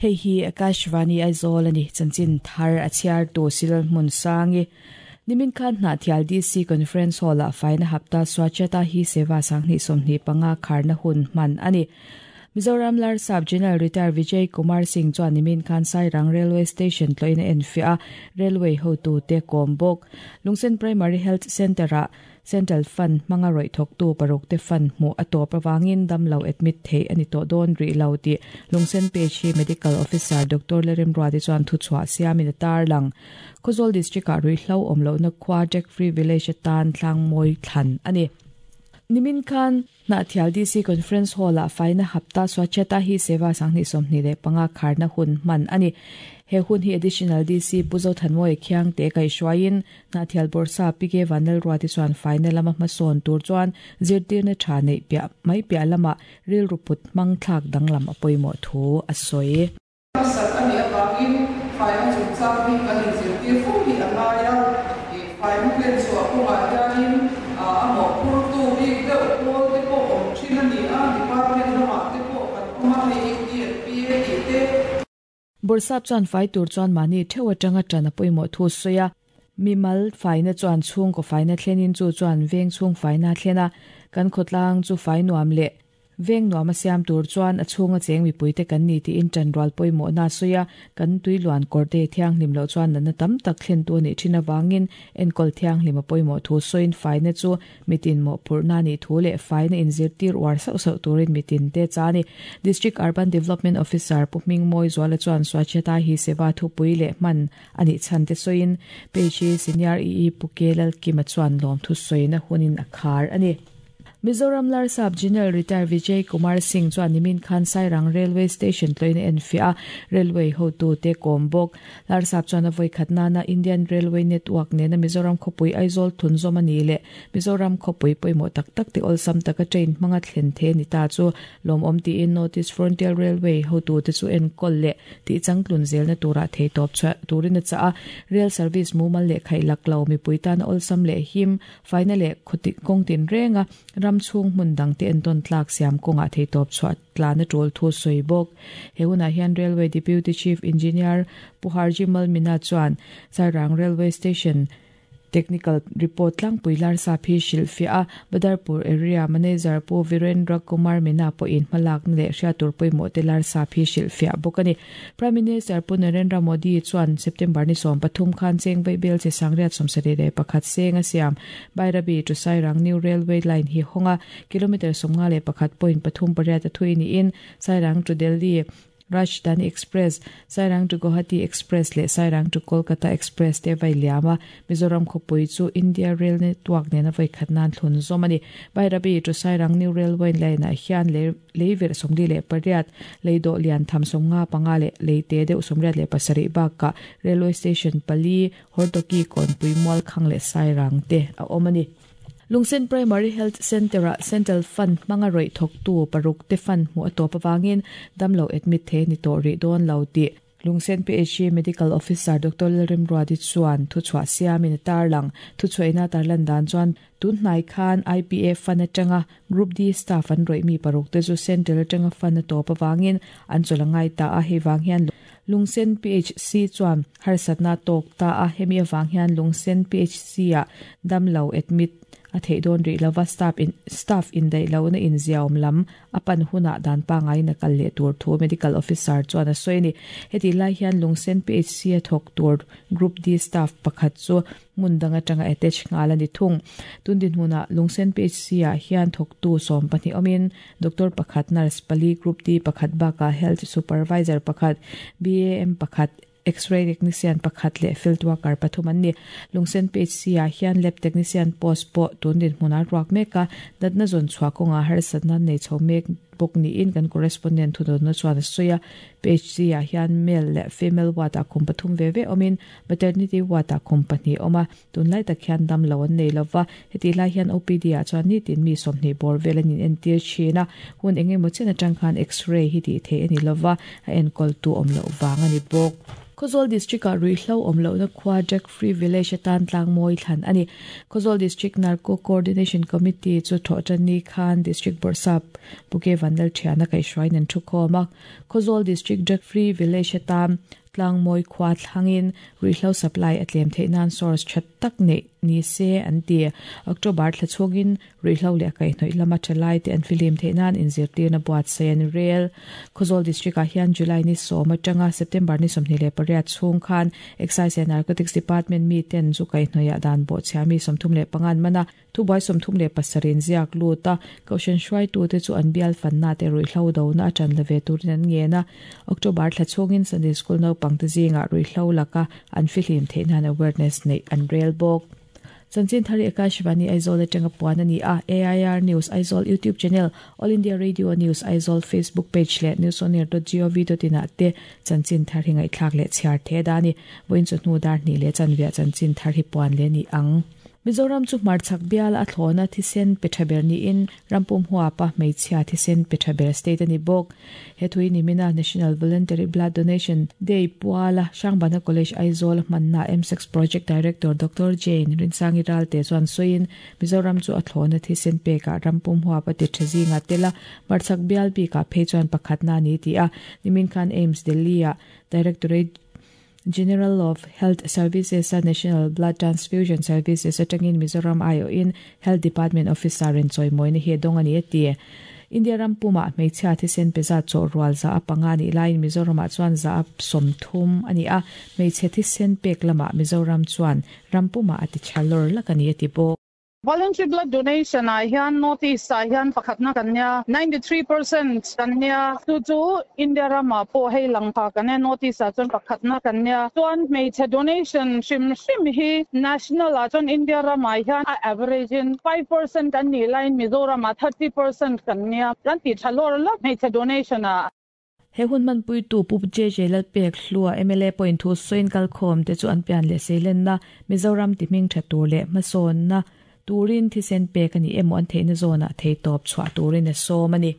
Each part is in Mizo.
Hei hi Akashvani Aizawl a ni, chanchin thar a chhiar tu Silal hmun sangi. Nimin khan Hnahthial DC Conference Hall-ah faina hapta Swachhata Hi Seva 2025 kharna hun hman a ni. Mizoram Larsap General Retired Vijay Kumar Singh chuan nimin khan Sairang Railway Station tlawhin a enfiah a, Railway hotute kawm bawk. Lungsen Primary Health Centre-ah Central Fund hmanga rawih thawktu parukte fund hmuh a tawp avangin damlo admit theih a ni tawh dawn rih lo tih Lungsen PHC Medical Officer Doctor Leremruati chuan thuchhuah siamin a tarlang. Khawzawl District-ah ruihhlo awm lohna khua Jack Free Village atan tlangmawi thlan a ni. Nimin khan Hnahthial DC Conference Hall-ah faina hapta Swachhata Hi Seva 2025 kharna hun hman a ni. He hun hi Additional DC Pu Zothanmawia Khiangte kaihhruaiin Hnahthial Bawrhsa PK Vanlalruati chuan faina lama hmasawn tur chuan zirtirna tha neih piah mai piah lamah rilru put hmang thlak danglam a pawimawh thu a sawi. Hmasat a nih avangin faina chungchang hi kan inzirtir fo hi a ngai a, faina hlen chhuah kawngah hianin a mawhphurtu bik deuh pawl te pawh awm thin a ni a, department lamah te pawh kan awm a, hei ED and PA tih te. Bawrhsap chuan fai tur chuan mahni theuh atanga tan a pawimawh thu sawi a, mimal faina chuan chhungkaw faina thlenin chu chuan veng chhung faina a thlen a, kan khawtlang chu fai nuam leh Veng nuam a siam tur chuan a chhunga cheng mipuite kan ni tiin ṭanrual pawimawhna a sawi a, kan tui luan kawrte thianghlim loh chuan natna tam tak thlentu a nih ṭhin avangin enkawl thianghlim a pawimawh thu sawiin faina chu mitin mawhphurhna a nih thu leh faina inzirtir uar sauh sauh turin mitinte cha a ni. District Urban Development Officer Pu Hmingmawi Zuala chuan Swachhata Hi Seva thupui leh hman a nih chhan te sawiin page hi Senior EE Pu Ke Lalkima chuan lawmthu sawina hunin a khar a ni. Mizoram Larsap General Retired Vijay Kumar Singh chuan nimin khan Sairang Railway Station tlawhin a enfiah a, Railway hotute kawm bawk. Larsap chuan a vawikhat nana Indian Railway Network nena Mizoram khawpui Aizawl thunzawm a ni leh Mizoram khawpui pawimawh tak tak te awlsam taka train hmanga thlen the ni ta chu lawmawm tiin North East Frontier Railway hotute chu enkawl leh tih changtlun zelna turah theitawp chhuah turin a chah a, Rail service mumal leh khaihlak lo mipui tana awlsam leh him Faina leh khawti kawng tinrenga ram chhung hmun dangte entawn tlak siam kawngah theitawp chhuah tlan a tul thu sawi bawk. He hunah hian Railway Deputy Chief Engineer Pu Harji Malmina chuan Sairang Railway Station Technical Report tlangpui Larsap hi hrilhfiah a, Badarpur Area Manager Pu Virendra Kumar Meena pawhin hmalakna leh hriattur pawimawhte Larsap hi hrilhfiah bawk a ni. Prime Minister Pu Narendra Modi chuan September ni 13 khan cheng vaibel che 731 seng a siam Bairabi to Sairang New Railway Line hi hawng a, kilometre 51.38 a thui niin Sairang to Delhi Rajdhani Express, Sairang to Guwahati Express leh Sairang to Kolkata Express te vai liam a, Mizoram khawpui chu India Rail Network nena vawikhat nan thlun zawm a ni. Bairabi to Sairang New Railway Line-ah hian lei Leiverh 48, leidawh lian tham 55 leh leite deuh 87 bakah Railway Station pali, Hortoki, Kawnpui, Mualkhang leh Sairang te a awm a ni. Lungsen Primary Health Centre-ah Central Fund hmanga rawih thawktu paruk te fund hmuh a tawp avangin damlo admit thei a ni tawh rih dawn lo tih Lungsen PHC Medical Officer Doctor Lalrimruati chuan thuchhuah siamin a tarlang. Thuchhuahina tarlan dan chuan tun hnai khan IPA fund atanga Group D staff an rawih mi paruk te chu Central atanga fund a tawp avangin an chawlh a ngai ta a, hei vang hian Lungsen PHC chuan harsatna a tawk ta a, hemi avang hian Lungsen PHC-ah damlo admit a theih dawn rih lova staff in staff indaih lohna inziaawm lam a pan hunah dan pangaiin a kal leh tur thu Medical Officer chuan a sawi a ni. Hetih lai hian Lungsen PHC a thawk tur Group D staff pakhat chu hmun dang atanga attach nghal a ni thung. Tun dinhmunah Lungsen PHC ah hian thawktu 12 awmin Doctor pakhat, Nurse pali, Group D pakhat bakah Health Supervisor pakhat, BAM pakhat, X-ray technician pakhat leh field worker pathum an ni. Lungsen PHC ah hian lab technician post pawh tun dinhmun a ruak mek a, natna zawn chhuah kawngah harsatna nei chho mek bawk niin kan correspondent thudawnna chuan a sawi a. PHC ah hian male leh female ward ah kum pathum ve ve awmin maternity ward ah kum pahnih a awm a, tunlai tak hian dam lo an nei lova, hetih lai hian OPD ah chuan nitin mi 20 bawr vel an inentir thin a, hun eng emaw chen atang khan X-ray hi tih theih a ni lova, a enkawltu awm loh vang a ni bawk. Khawzawl District-ah ruihhlo awm lohna khua Drug Free Village atan tlangmawi thlan a ni. Khawzawl District Narco Coordination Committee chu thawhtanni khan District Bawrhsap Pu K Vanlalthiana kaihhruaiin an thukhawm a. Khawzawl District Drug Free Village atan Tlangmawi khua thlangin ruihhlo supply a tlem theih nan source tha tak neih ni se an ti. October thla chhungin ruihhlo leh a kaihhnawih lama tha lai te an fihlim theih nan inzirtirna buatsaih an rel. Khawzawl District ah hian July ni sawm atanga September ni 28 chhung khan Excise and Narcotics Department mi ten zu kaihhnawih ah dan bawhchhia mi 35 an man a. Thubuai 37 in ziak lut a, Kohhran hruaitute chu an bial fanna te ruihhlo dona a ṭan la ve turin an ngen a. October thla chhungin Sunday School naupangte zingah ruihhlo laka an fihlim theih nan awareness neih an rel bawk. Chanchin Thari Akashvani Aizawl atanga puan a ni a, AIR News Aizawl YouTube channel, All India Radio News Aizawl Facebook page leh newsonair.gov.in ah te Chanchin Thar hi ngaihthlak leh chhiar the da a ni. Vawiin chawhnu dar hnih leh chanviah Chanchin Thar hi puan leh a ni ang. Mizoram chu hmarchhak bial a thlawna thisen pe tha ber niin rampum huapa hmeichhia thisen pe tha ber state a ni bawk. He thui nimina National Voluntary Blood Donation Day puala Hrangbana College Aizawl a hmanna MSEX Project Director Doctor Jane Rinsangi Ralte chuan sawiin Mizoram chu a thlawna thisen pekah rampum huapa ti tha zingah tel a, hmarchhak bial bikah phei chuan pakhatna a ni tih a, nimin khan AIIMS Delhi-ah Directorate General of Health Services a National Blood Transfusion Services atangin Mizoram aiawhin Health Department Officer in chawimawina hi a dawng a ni a ti. India ram pumah hmeichhia thisen pe zat chawh rual 100 nih laiin Mizoramah chuan 30% a ni a, hmeichhe thisen pek lamah Mizoram chuan ram pumah a ti tha lawr lak a ni a ti bawk. Voluntary blood donation ah hian North East ah hian pakhatna kan nia, 93% kan nia, chu chu India ramah pawh hei lang pha kan nia, North East ah chuan pakhatna kan nia. Chuan hmeichhe donation hrim hrim hi national ah chuan India ramah hian a average in 5% kan nih laiin Mizoram ah 30% kan nia, kan tih tha lawr lawk hmeichhe donation ah. He hun hmanpuitu Pu JJ Lalpek Hlua mla pawhin thu sawiin kalkhawm te chu an pian leh seilenna Mizoram ti hming tha tur leh hmasawnna turin thisen pek a ni emaw an theihna zawnah theitawp chhuah turin a sawm a ni.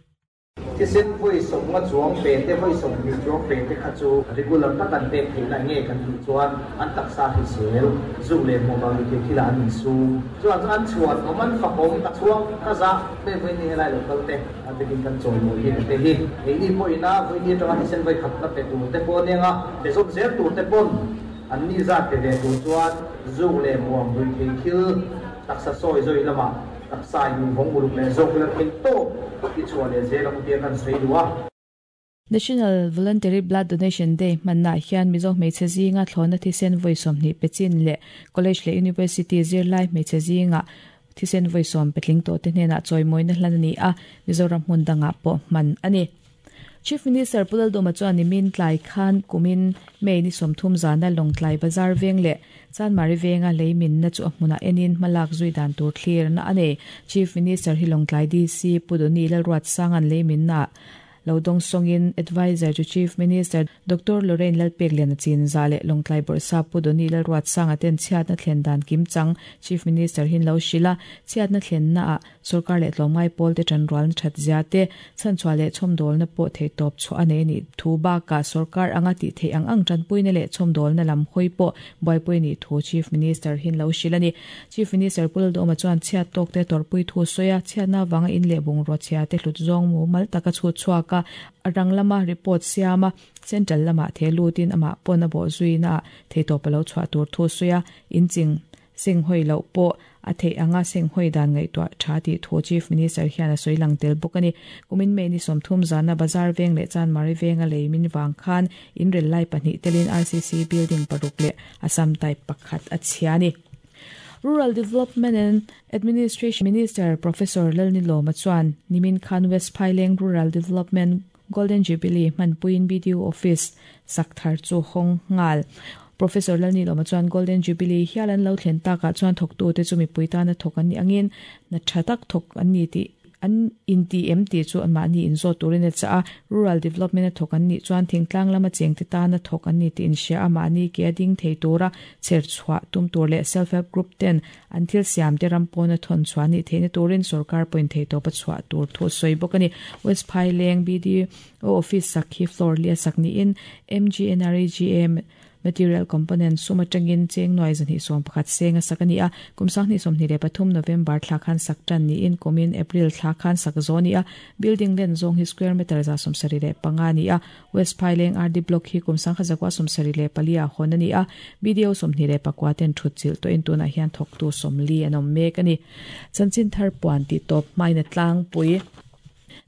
Thisen vawi sawmnga chuang pe te, vawi 20 chuang pe te kha chu regular tak an pek theihna nge kan tih chuan an taksa hrisel, zuk leh hmuh vang leh thil ah an insum. Chuan chu an chhuan awm, an fakawm, ka chhuang, ka zah, hei vawi ni helai lo kal te. A bikin kan chawimawi hi te hi keini pawhin a vawiini atanga thisen vawi khatna pe tur te pawh aniang a, pe zawm zel tur te pawn an ni zat pe ve tur chuan zuk leh muang rui thei thil taksa sawi zawi lamah taksa in vawng uluk leh zawk ila thei tawp i chhuah leh zel ang tia kan sawi duh a. National Voluntary Blood Donation Day hmannaah hian Mizo hmeichhe zinga thlawhna thisen vawi 20 pe chin leh College leh University zirlai hmeichhe zingah Thisen vawi sawm petling tawhte hnenah chawimawina hlan a ni a, Mizoram hmun dangah pawh hman a ni. Chief Minister Pu Laldawma chuan nimin tlai khan kumin May ni 30 zana Lawngtlai Bazar veng leh Chanmari venga lei minna chu a hmunah enin hmalak zui dan tur thlirna a nei. Chief Minister hi Lawngtlai DC Pu Doni Lalruatsanga'n lei minnaah Lo dawng sawngin Adviser to Chief Minister Doctor Lorraine Lalpekliana Chinza leh Lawngtlai Bawrhsap Pu Donny Lalruatsanga ten chhiatna thlen dan kim chang Chief Minister hin lo hrilh a, chhiatna thlenna ah sorkar leh tlawmngai pawl te tanrualna that zia te, chhanchhuah leh chhawmdawlna pawh theihtawp chhuah a nei a nih thu bakah sorkar anga tih theih ang ang tanpuina leh chhawmdawlna lam hawi pawh buaipui a nih thu Chief Minister hin lo hrilh a ni. Chief Minister Pu Lalduhoma chuan chhiat tawk te tawrhpui thu sawi a, chhiatna avanga in leh bungrua chhia te hlut zawng mumal taka chhut chhuak a, a rang lama report siam a, Central lamah the lutin amah pawn a bawh zuina ah theitawp a lo chhuah tur thu sawi a, in ching seng hawi loh pawh a theih anga seng hawi dan ngaihtuah tha tih thu Chief Minister hian a sawi lang tel bawk a ni. Kumin May ni 30 zana Bazar veng leh Chanmari venga lei min vang khan in rel lai pahnih telin RCC building paruk leh Assam type pakhat a chhia a ni. Rural Development and Administration Minister Professor Lalnilawma chuan nimin khan West Phaileng Rural Development Golden Jubilee hmanpuiin BDO Office sak thar chu hawng nghal. Professor Lalnilawma chuan Golden Jubilee hial an lo thlen takah chuan thawktute chu mipui tana thawk an nih angin hna tha tak thawk an ni tih An inti em tih chu anmahni inzawt turin a chah a, Rural Development a thawk an nih chuan thingtlang lama chengte tana thawk an ni tih inhria a, mahni ke a ding thei tura chher chhuah tum tur leh Self Help Group ten an thil siamte ram pawna thawn chhuah nih theihna turin sorkar pawhin theihtawp a chhuah tur thu a sawi bawk a ni. West Phaileng BDO Office sak hi floor li a sak niin MGNREGA. Material component sum atangin cheng nuai 211 senga sak ani a, kum 2023 November thla khan sak tan niin kumin April thla khan sak zo ni a, building len zawng hi square meter 175 ni a, West Phaileng RD Block hi kum 1974 ah hawn ani a, BDO 29 ten thut chilh tawhin tunah hian thawktu 40 an awm mek a ni. Chanchin thar puan tih tawp hmain a tlangpui.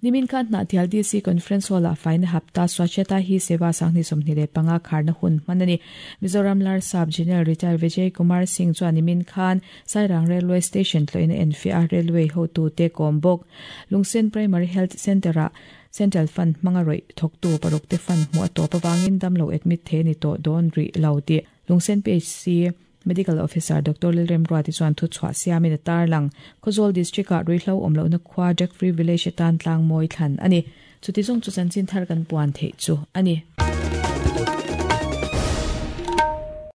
Nimin khan Hnahthial DC Conference Hall-ah faina hapta Swachhata Hi Seva 2025 kharna hun hman a ni. Mizoram Larsap General Retired Vijay Kumar Singh chuan nimin khan Sairang Railway Station tlawhin a enfiah a, railway hotute kawm bawk. Lungsen Primary Health Centre-ah Central Fund hmanga rawih thawktu parukte fund hmuh a tawp avangin damlo admit thei a ni tawh dawn rih lo tih Lungsen PHC Medical Officer Doctor Lalremruati chuan thuchhuah siamin a tarlang. Khawzawl District-ah ruihhlo awm lohna khua Drug Free Village atan tlang mawi thlan a ni. Chuti zawng chu chanchin thar kan puan theih chu a ni.